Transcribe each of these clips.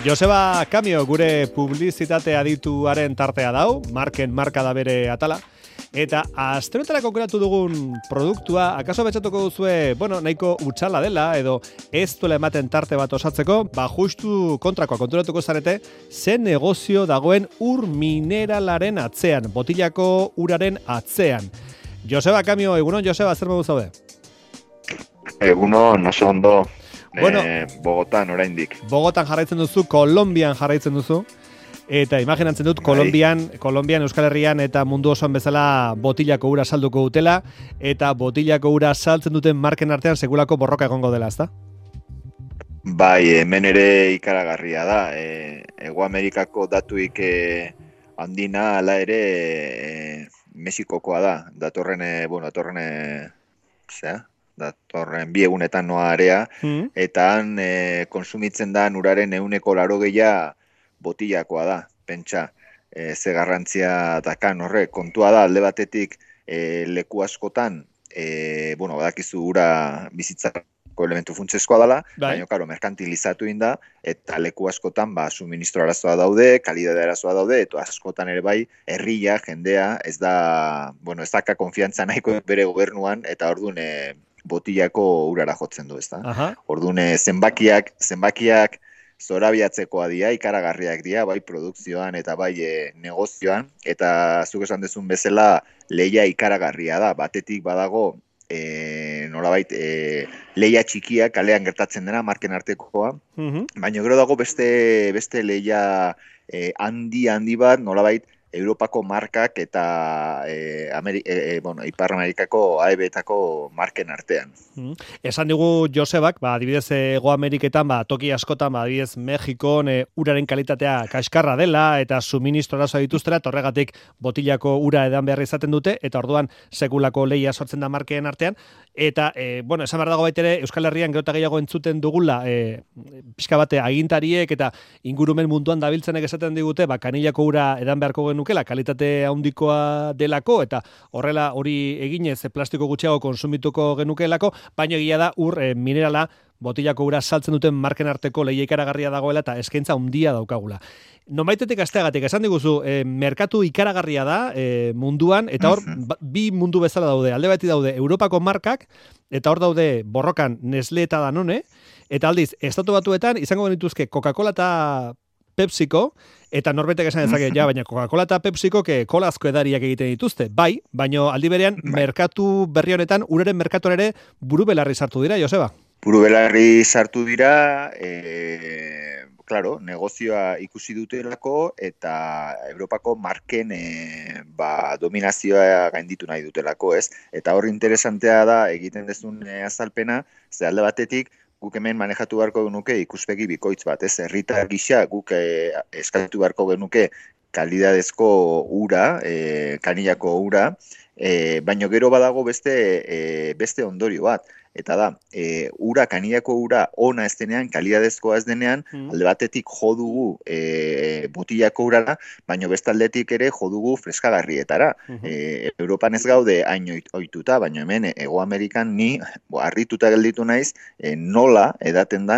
Joseba Kamio gure publizitate adituaren tartea dau, marka da bere atala. Eta asterotarako aukeratu dugun produktua, akaso betxatuko duzue, nahiko utxala dela, edo ez duela ematen tarte bat osatzeko, justu kontrakoa konturatuko zarete, zen negozio dagoen ur mineralaren atzean, botilako uraren atzean. Joseba Kamio, egunon Joseba, zer modu zaude? Egunon, oso ondo. Bogotan oraindik. Bogotan jarraitzen duzu, Kolonbian jarraitzen duzu. Eta imaginatzen dut, Kolonbian, Euskal Herrian eta mundu osoan bezala botilako ura salduko dutela, eta botilako ura saltzen duten marken artean sekulako borroka egongo dela, ezta? Bai, hemen ere ikaragarria da. Hego Amerikako datuik handina hala ere Mexikokoa da. Datorren bi egunetan noa area, eta han konsumitzen da uraren 80% botillakoa da, pentsa, ze garrantzia dakan horre, kontua da, alde batetik leku askotan, badakizu ura bizitzako elementu funtsezkoa dela, baina, merkantilizatu inda, eta leku askotan, suministro arazoa daude, kalidade arazoa daude, eta askotan ere bai, herria, jendea, ez daka konfiantza nahiko bere gobernuan, eta orduan botillako urara jotzen du, ez da? Orduan zenbakiak zorabiatzekoa dira, ikaragarriak dira, bai produkzioan eta bai negozioan, eta zuk esan dezun bezala lehia ikaragarria da, batetik badago nolabait lehia txikia kalean gertatzen dena, marken artekoa, baina gero dago beste lehia handi bat, nolabait Europako markak eta Ipar Amerikako AEB-etako marken artean. Esan digu Josebak, adibidez Hego Ameriketan, toki askotan, adibidez Mexikon uraren kalitatea kaskarra dela eta suministro arazoa dituztera, eta horregatik botilako ura edan behar izaten dute, eta orduan sekulako lehia sortzen da markeen artean, eta, esan behar dago baitere, Euskal Herrian gero eta gehiago entzuten dugula, pixka bate agintariek eta ingurumen munduan dabiltzenek esaten digute, kanilako ura edan beharko genukela, kalitate handikoa delako, eta horrela hori eginez plastiko gutxiago konsumituko genukelako, baina egia da ur minerala botilako ura saltzen duten marken arteko lehia ikaragarria dagoela eta eskaintza handia daukagula. Nonbaitetik asteagatik, esan diguzu, merkatu ikaragarria da munduan, eta hor bi mundu bezala daude. Alde bati daude Europako markak, eta hor daude borrokan Nestlé eta Danone, eta aldiz, Estatu Batuetan izango genituzke Coca-Cola eta Pepsiko, eta norbaitek esan dezake, baina Coca-Cola eta Pepsiko kolazko edariak egiten dituzte. Bai, baina aldi berean, merkatu berri honetan, uraren merkatuan ere buru belarri sartu dira, Joseba? Buru belarri sartu dira, negozioa ikusi dutelako, eta Europako marken dominazioa gainditu nahi dutelako, ez? Eta hor interesantea da, egiten dezun azalpena, ze alde batetik, guk hemen manejatu beharko genuke ikuspegi bikoitz bat, ez? Herritar gisa guk eskatu beharko genuke kalidadezko ura, kanilako ura, baina gero badago beste ondorio bat. Eta da, kanilako ura ona ez denean, kalidadezkoa ez denean, alde batetik jo dugu botilako urara, baina beste aldetik ere jo dugu freskagarrietara. Europan ez gaude hain ohituta, baina hemen Hego Amerikan ni harrituta gelditu naiz, nola edaten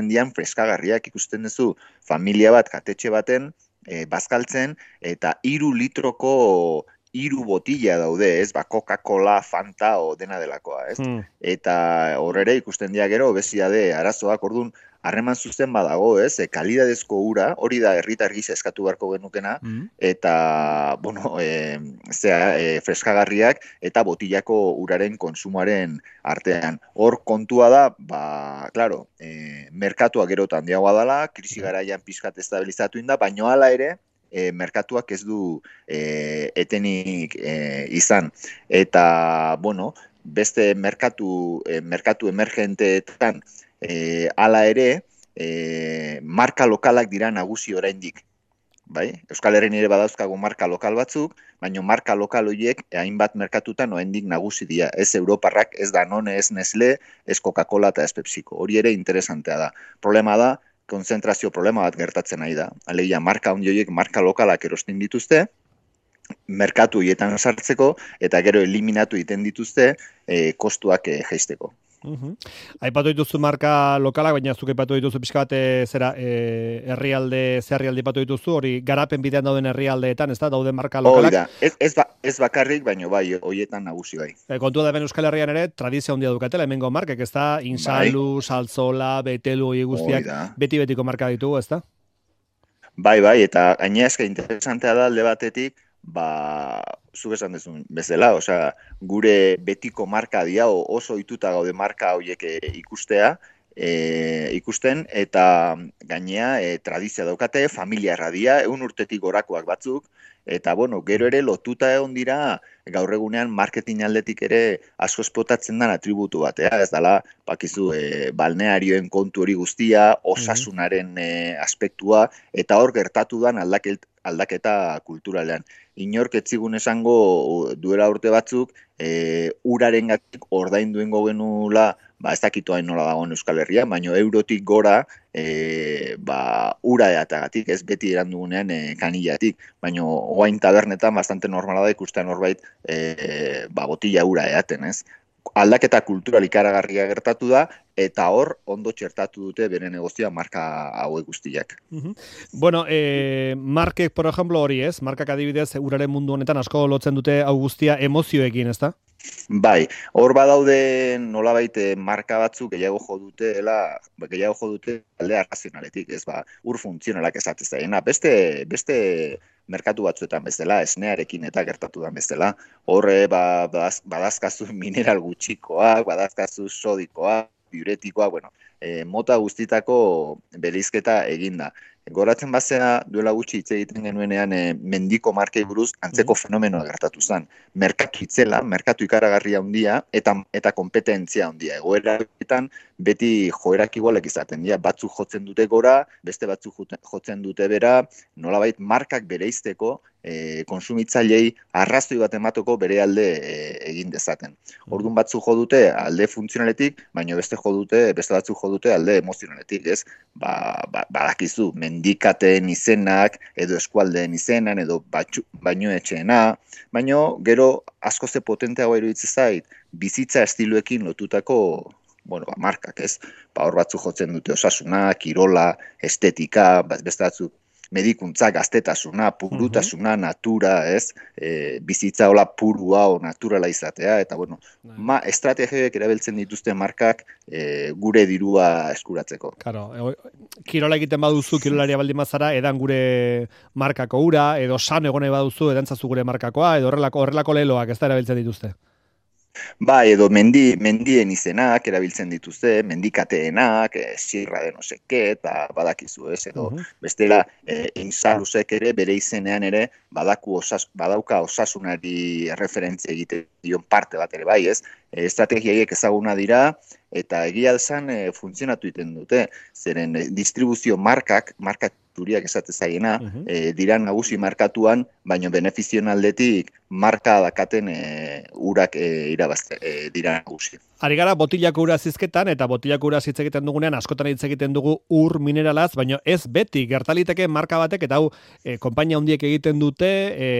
dian freskagarriak. Ikusten duzu familia bat, katetxe baten, bazkaltzen, eta 3 litroko 3 botila daude, ez? Coca-Cola, Fanta o dena delakoa, ez? Eta horre ikusten dira gero, obesidade arazoak, orduan, harreman zuzen badago, ez? Kalidadezko ura, hori da herritar gisa eskatu beharko genukena, eta, freskagarriak eta botilako uraren konsumoaren artean. Hor kontua da, merkatua gero eta handiagoa dela, krisi garaian pixkat estabilizatu inda, baino hala ere, merkatuak ez du etenik izan. Eta, beste merkatu emergenteetan hala ere, marka lokalak dira nagusi oraindik. Bai? Euskal Herrian ere badauzkagu marka lokal batzuk, baina marka lokal horiek hainbat merkatutan oraindik nagusi dira. Ez Europarrak, ez Danone, ez Nestlé, ez Coca-Cola eta ez Pepsiko. Hori ere interesantea da. Problema da, konzentrazio problema bat gertatzen nahi da. Alegia, marka handi horiek marka lokalak erosten dituzte, merkatu hietan sartzeko, eta gero eliminatu egiten dituzte kostuak jaisteko. Aipatu dituzu marka lokalak, baina zuk aipatu dituzu pixka bat herrialde, ze herrialde aipatu dituzu, hori garapen bidean dauden herrialdeetan, ez da, dauden marka lokalak. Ez bakarrik, baina bai, hoietan nagusi bai. Kontua da ben Euskal Herrian ere, tradizio handia dukatela, hemengo markek, ez da, Insalu, Saltzola, Betelu, hori guztiak, beti-betiko marka ditugu, ez da? Bai, eta gaina eska interesantea da alde batetik, zuk esan dezun bezala, osea, gure betiko marka dia, oso ohituta gaude marka horiek ikusten, eta gainea tradizia daukate, familiarra dia, 100 urtetik gorakoak batzuk, eta bueno, gero ere lotuta egon dira, gaur egunean marketing aldetik ere asko espotatzen den atributu batea, ez dela, bakizu, balnearioen kontu hori guztia, osasunaren aspektua, eta hor gertatu den aldaketa kulturalean. Inork etzigun esango duela urte batzuk, urarengatik ordainduen genula, ez dakitu hain nola dagoen Euskal Herria, baina eurotik gora, ura eatagatik, ez beti erandugunean kanillatik, baina oain tabernetan bastante normala da ikusten norbait botila ura eaten, ez? Aldaketa kultural ikaragarria gertatu da, eta hor ondo txertatu dute bere negozioa marka hauek guztiak. Bueno, markek, por ejemplo, hori ez, markak adibidez, uraren mundu honetan asko lotzen dute hau guztia emozioekin, ez da? Bai, hor badaude nolabait marka batzuk gehiago jo dute alde arrazionaletik, ez ur funtzionalak esatez daiena. Beste merkatu batzuetan bezala, esnearekin eta gertatu den bezala. Horre, badazkazu mineral gutxikoak, badazkazu sodikoak, diuretikoak, mota guztitako bereizketa eginda. Goratzen bazea duela gutxi hitz egiten genuenean mendiko markei buruz antzeko fenomenoa gertatu zen. Merkatu itzela, merkatu ikaragarria handia eta kompetentzia handia. Egoeraetan beti joerak igualek izaten dira. Batzuk jotzen dute gora, beste batzuk jotzen dute bera, nolabait markak bereizteko konsumitzailei arrazoi bat emateko bere alde egin dezaten. Orduan batzuk jo dute alde funtzionaletik, baina beste batzuk jo dute alde emozionaletik, ez? Badakizu, mendikateen izenak, edo eskualdeen izenan, edo bainoetxeena, baina gero asko ze potenteagoa iruditzen zait, bizitza estiloekin lotutako markak, ez? Hor batzuk jotzen dute osasuna, kirola, estetika, beste batzuk medikuntza, gaztetasuna, purutasuna, natura, ez? Bizitza hola purua o naturala izatea, eta estrategiak erabiltzen dituzte markak gure dirua eskuratzeko. Claro, kirola egiten baduzu, kirolaria baldin bazara, edan gure markako ura, edo san egone baduzu, edantzazu gure markakoa, edo horrelako leloak ez da erabiltzen dituzte. Bai, edo mendien izenak erabiltzen dituzte, mendikateenak, sierra de no seke, eta badakizu, ez, edo bestela Insalusek ere bere izenean ere badauka osasunari referentzia egiten dion parte bat ere bai, ez? Estrategiaiek ezaguna dira, eta egia esan funtzionatu egiten dute, zeren distribuzio marka turiak esate zaiena, dira nagusi markatuan, baino benefizion aldetik marka dakaten urak irabazte dira nagusi. Ari gara botilako ura zizketan, eta botilako ura hitz egiten dugunean, askotan hitz egiten dugu ur mineralaz, baina ez beti, gertaliteke marka batek, eta hau konpainia handiek egiten dute,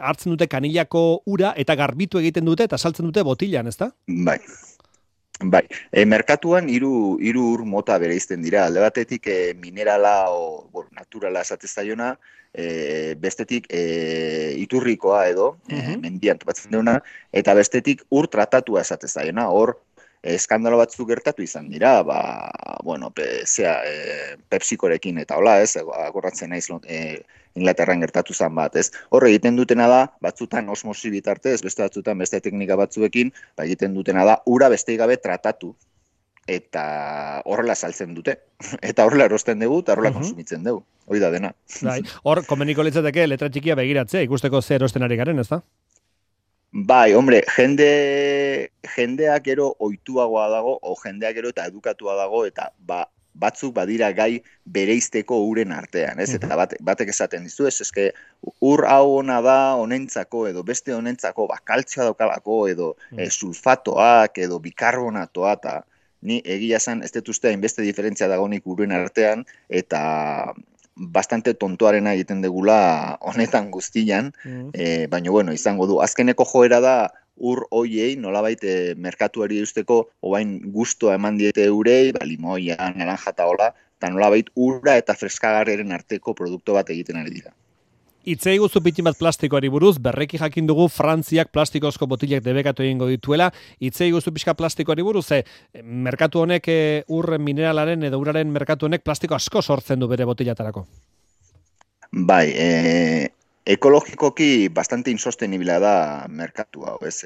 hartzen dute kanilako ura, eta garbitu egiten dute, eta saltzen dute botilan, ezta? Bai, merkatuan hiru ur mota bereizten dira. Alde batetik minerala o naturala esate zaiona, bestetik iturrikoa edo mendian topatzen dena, eta bestetik ur tratatua esate zaiona. Hor eskandalo batzuk gertatu izan dira, Pepsikorekin eta hola, ez, agorratzen naiz Inglaterran gertatu zen bat, ez. Hor egiten dutena da, batzutan osmosi bitartez, beste batzutan beste teknika batzuekin, egiten dutena da, ura beste gabe tratatu, eta horrela saltzen dute. Eta horrela erosten dugu, eta horrela konsumitzen dugu. Hoi da dena. Hor, komeniko litzateke letra txikia begiratzea, ikusteko ze erosten ari garen, ez da? Bai, hombre, jendeak gero ohituagoa dago, o jendeak gero eta edukatua dago, eta batzuk badira gai bereizteko uren artean, ez? Eta batek esaten dizu, eske ur hau ona da honentzako, edo beste honentzako, kaltzioa daukalako, edo sulfatoak, edo bikarbonatoa, eta ni egia esan ez dut uste hainbeste diferentzia dagonik uren artean, eta bastante tontoarena egiten degula honetan guztian, baina izango du. Azkeneko joera da ur hoiei nolabait merkatuari eusteko oain gustoa eman diete eurei, limoia, naranja eta hola, eta nolabait ura eta freskagarriaren arteko produktu bat egiten ari dira. Itzei guzu pitin bat plastikoari buruz, berreki jakin dugu Frantziak plastikozko botilak debekatu egingo dituela. Itzei guzu pixka plastikoari buruz, merkatu honek ur mineralaren edo uraren merkatu honek plastiko asko sortzen du bere botilatarako. Bai, ekologikoki bastante insostenibila da merkatu hau, ez?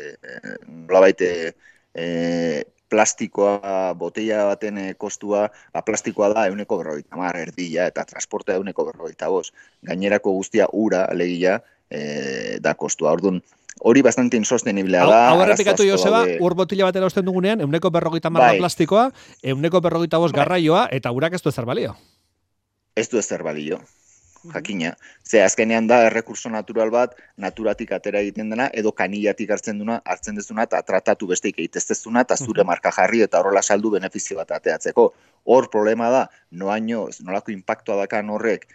Nolabait plastikoa, botella baten kostua, plastikoa da 150 erdila eta transportea 155. Gainerako guztia ura, alegia, da kostua. Orduan, hori bastante insosteniblea da. Hau errepikatu Joseba, ur botila batera osten dugunean, 150 bai. plastikoa, 155 garraioa, eta urak ez du ezer balio. Ez du ezer balio. Jakina. Ze azkenean da errekurso natural bat, naturatik atera egiten dena, edo kanillatik hartzen dezuna, eta tratatu besteik egiteztezuna, eta zure marka jarri eta horrela saldu benefizio bat ateatzeko. Hor problema da, nolako impactua dakan horrek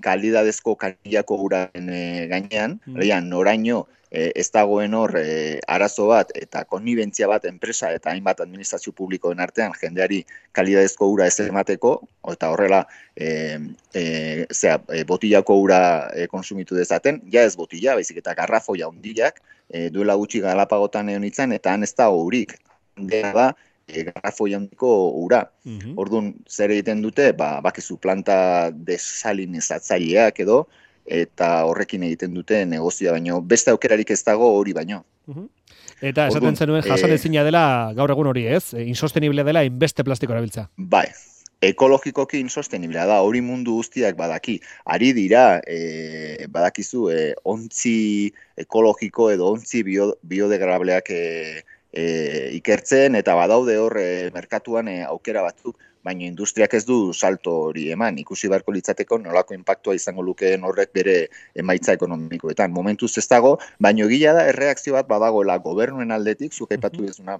kalidadezko kanillako uraren gainean, noraino ez dagoen hor arazo bat eta konnibentzia bat enpresa eta hainbat administrazio publikoen artean jendeari kalidadezko ura ez emateko, eta horrela botilako ura konsumitu dezaten, ja ez botila, baizik eta garrafoia hondilak, duela gutxi Galapagotan egon itzan, eta han ez da urik, dena da, garrafoia hondiko ura. Orduan, zer egiten dute, bakizu planta desalinizatzaileak edo, eta horrekin egiten dute negozioa baino. Beste aukerarik ez dago hori baino. Eta esaten zenuen jasanezina dela gaur egun hori, ez? Insostenible dela inbeste plastiko erabiltza. Bai, ekologikoki insosteniblea da, hori mundu guztiak badaki. Ari dira, badakizu, ontzi ekologiko edo ontzi biodegradableak ikertzen, eta badaude hor merkatuan aukera batzuk, baina industriak ez du salto hori eman, ikusi beharko litzateko nolako inpaktua izango lukeen horrek bere emaitza ekonomikoetan. Momentuz ez dago, baina egia da erreakzio bat badagoela gobernuen aldetik, zuk aipatu dezuna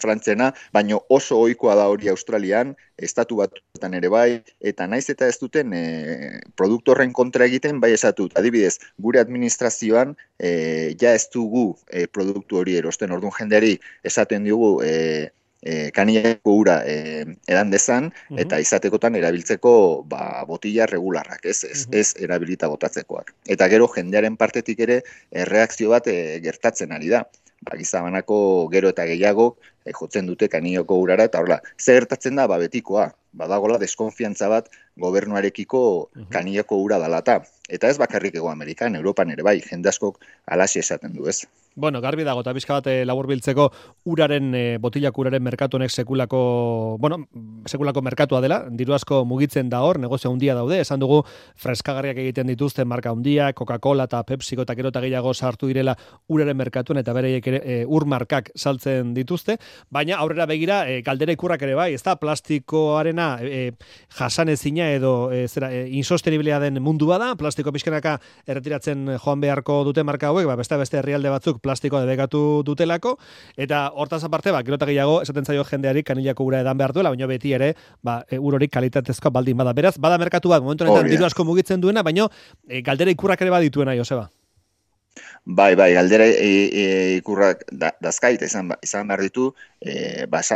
Frantziana, baina oso ohikoa da hori Australian, estatu batuetan ere bai, eta naiz eta ez duten produktu horren kontra egiten, bai esatut. Adibidez, gure administrazioan ja ez dugu produktu hori erosten, orduan jendeari esaten diogu kanillako ura edan dezan, eta izatekotan erabiltzeko botila regularrak, ez erabilita botatzekoak. Eta gero jendearen partetik ere erreakzio bat gertatzen ari da. Gizabanako gero eta gehiago jotzen dute kanillako urara, eta horrela, zer gertatzen da, betikoa, badagola deskonfiantza bat gobernuarekiko kanillako ura dalata. Eta ez bakarrik Hego Amerikan, Europan ere bai, jende askok alaxe esaten du, ez? Bueno, garbi dago, eta bizka bat laburbiltzeko uraren, botilako uraren merkatu honek sekulako merkatua dela, diru asko mugitzen da hor, negozio handia daude, esan dugu freskagarriak egiten dituzten marka handiak, Coca-Cola eta Pepsiko eta gero eta gehiago sartu direla uraren merkatuan, eta bereiek ere ur markak saltzen dituzte, baina aurrera begira, galdera ikurrak ere bai, ez da plastikoarena jasanezina edo insosteniblea den mundu bada, plastiko pixkanaka erretiratzen joan beharko dute marka hauek, beste herrialde batzuk plastikoa debekatu dutelako, eta hortaz aparte, gero eta gehiago esaten zaio jendeari kanillako ura edan behar duela, baina beti ere, ur hori kalitatezkoa baldin bada. Beraz, bada merkatu bat, momentu honetan diru asko mugitzen duena, baina galdera ikurrak ere badituena, Joseba. Bai, galdera ikurrak dazkait izan behar ditu,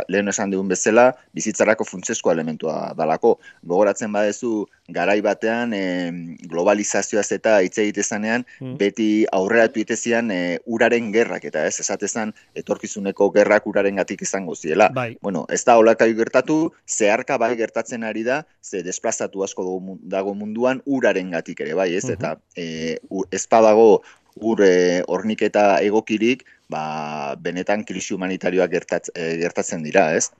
lehen esan dugun bezala, bizitzarako funtsezko elementua dalako. Gogoratzen badezu, garai batean, globalizazioaz eta hitz egitezanean, beti aurreratu itezian uraren gerrak, eta ez, esatezan, etorkizuneko gerrak uraren gatik izango ziela. Bueno, ez da holakai gertatu, zeharka bai gertatzen ari da, ze desplazatu asko dago munduan uraren gatik ere, bai, ez, eta ez badago ur horniketa egokirik, benetan krisi humanitarioak gertatzen dira, ez?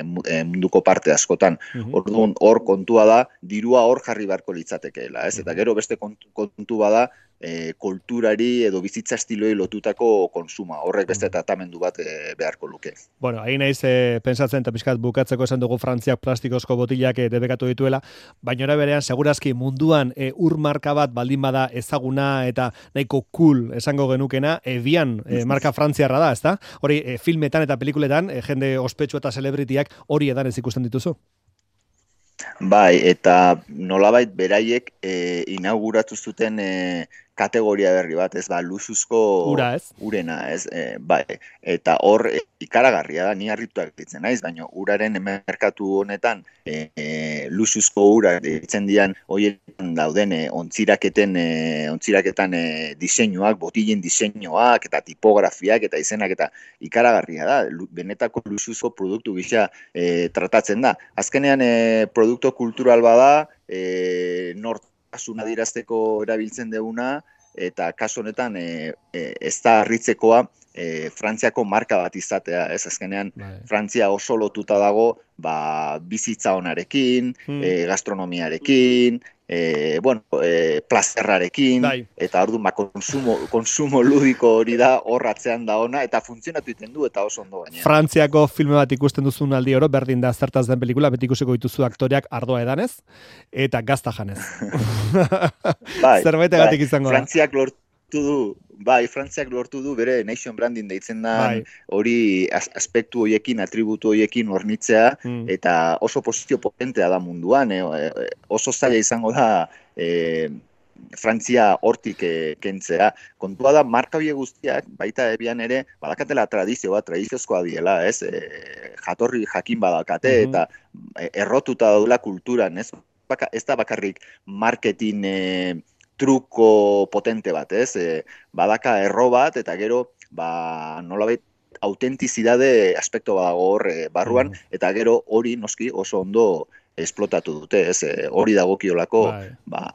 Munduko parte askotan. Orduan, hor kontua da, dirua hor jarri beharko litzatekeela, ez? Eta gero beste kontu bada, kulturari edo bizitza estiloi lotutako konsuma. Horrek beste tratamendu bat beharko luke. Bueno, hain naiz pensatzen eta pixkat bukatzeko esan dugu Frantziak plastikozko botilak debekatu dituela, baina ora berean segurazki munduan ur marka bat baldin bada ezaguna eta nahiko cool esango genukena, ebian marka frantziarra da, ezta? Hori filmetan eta pelikuletan jende ospetsu eta celebritiak hori edan ez ikusten dituzu? Bai, eta nolabait beraiek inauguratu zuten kategoria berri bat, ez luxuzko ura, ez? Urena, ez? Bai, eta hor ikaragarria da, ni harrituak ditzen naiz, baina uraren merkatu honetan luxuzko ura ditzen dian horietan dauden ontziraketan diseinuak, botillen diseinuak eta tipografiak eta izenak eta ikaragarria da, benetako luxuzko produktu gisa tratatzen da. Azkenean produktu kultural bada, nortasuna dirazteko erabiltzen duguna, eta kasu honetan ez da harritzekoa Frantziako marka bat izatea, ez azkenean Frantzia oso lotuta dago bizitza onarekin, gastronomiarekin, plazerrarekin, eta orduan konsumo ludiko hori da horratzean da ona, eta funtzionatu iten du, eta oso ondo gaina. Frantziako filme bat ikusten duzun aldi oro, berdin da zertaz den pelikula, beti ikusiko dituzu aktoreak ardoa edanez, eta gazta janez. Zerbaitegatik izango da. Frantziak lortu du bere nation branding deitzen da hori aspektu hoiekin, atributu hoiekin hornitzea, eta oso posizio potentea da munduan, oso zaila izango da Frantzia hortik kentzea. Kontua da, marka horiek guztiak, baita ebian ere, badakatela tradiziozkoa diela, ez? Jatorri jakin badakate, eta errotuta daudela kulturan, ez? Ez da bakarrik marketing truko potente bat, ez? Badaka erro bat, eta gero, nolabait, autentizidade aspekto badago hor barruan, eta gero hori noski oso ondo esplotatu dute, ez? Hori dagokiolako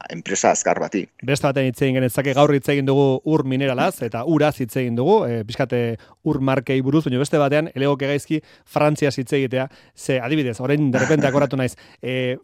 enpresa azkar bati. Beste baten hitz egin genezake, gaur hitz egin dugu ur mineralaz, eta uraz hitz egin dugu, pixkate ur markei buruz, baina beste batean, elegoke gaizki Frantziaz hitz egitea, ze adibidez, orain derrepente akoratu naiz,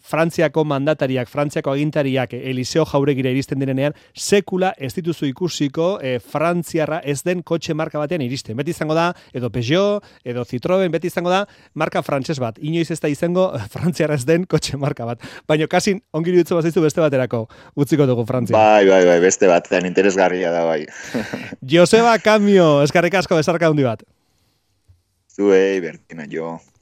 Frantziako mandatariak, Frantziako agintariak Eliseo Jauregira iristen direnean, sekula ez dituzu ikusiko Frantziarra ez den kotxe marka batean iristen. Beti izango da, edo Peugeot, edo Citroën, beti izango da, marka frantses bat. Inoiz ez da izango Frantziarra ez den kotxe marka bat. Baina kasin ongi iruditzen bazaizu beste baterako utziko dugu Frantzia. Bai, beste batean interesgarria da bai. Joseba Kamio, eskerrik asko, besarka handi bat. Zuei, Bertina, jo.